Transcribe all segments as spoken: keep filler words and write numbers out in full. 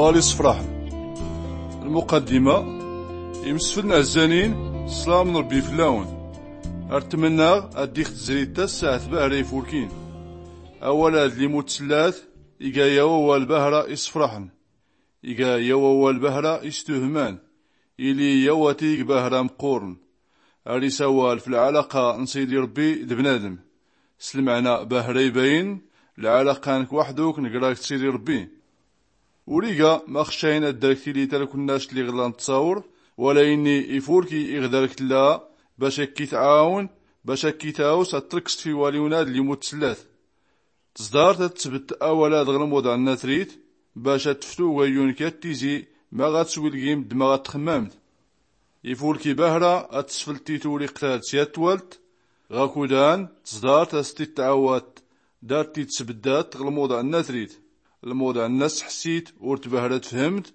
Ɣal isefraḥen. Lmuqaddima. Imsefln ɛzzanin, slam n rbbi flawn. Ar tmnnaɣ ad-dix tzrit tasaɛt bahra ifulkin. Awal ad-lli mutsellat, iga yaw awal bahra isefraḥen. Iga yaw awal bahra istuhman. Ili yaw atig bahra mqqurn. Ar isawal f lɛalaqa n sidi rbbi d bnadm. S lmɛna bahra ibayn, lɛalaqa nk waxduk ngrag d sidi rbbi. Ur iga ma xcayn ad-dark tili talkunnact lli ɣ-lla nttṣawr, wala inni ifulki iɣ dark lla, bac akk-itɛawn, bac akk-itawes ad-trkst f iwaliwn ad-lli mutsellat. Tẓdart ad-tsbt awal ad-ɣ-lmuḍa nnatrit, bac ad-tftu gayyun kyat tizi, ma ɣ-ad-swilgimt d ma ɣ-ad-txmmamt. Ifulki bahra ad-tsflt titwriqt ad-syat twalt, ɣakudan, tẓdart ad-s-t-id-tɛawat, dart-id-sbddat ɣ-lmuḍa nnatrit. Lmuḍa nna-s ḥssit ur-t bahra tfhmt,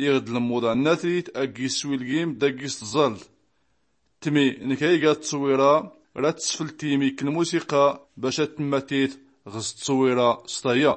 iɣ-d lmuḍa nnatrit aggi-s swilgimt d aggi-s tẓalt. Tmi nk ayga ttṣwira, rad-tsflt timi k-lmusiqa, bac ad-tmmatit ɣ-s ttṣwira s taya.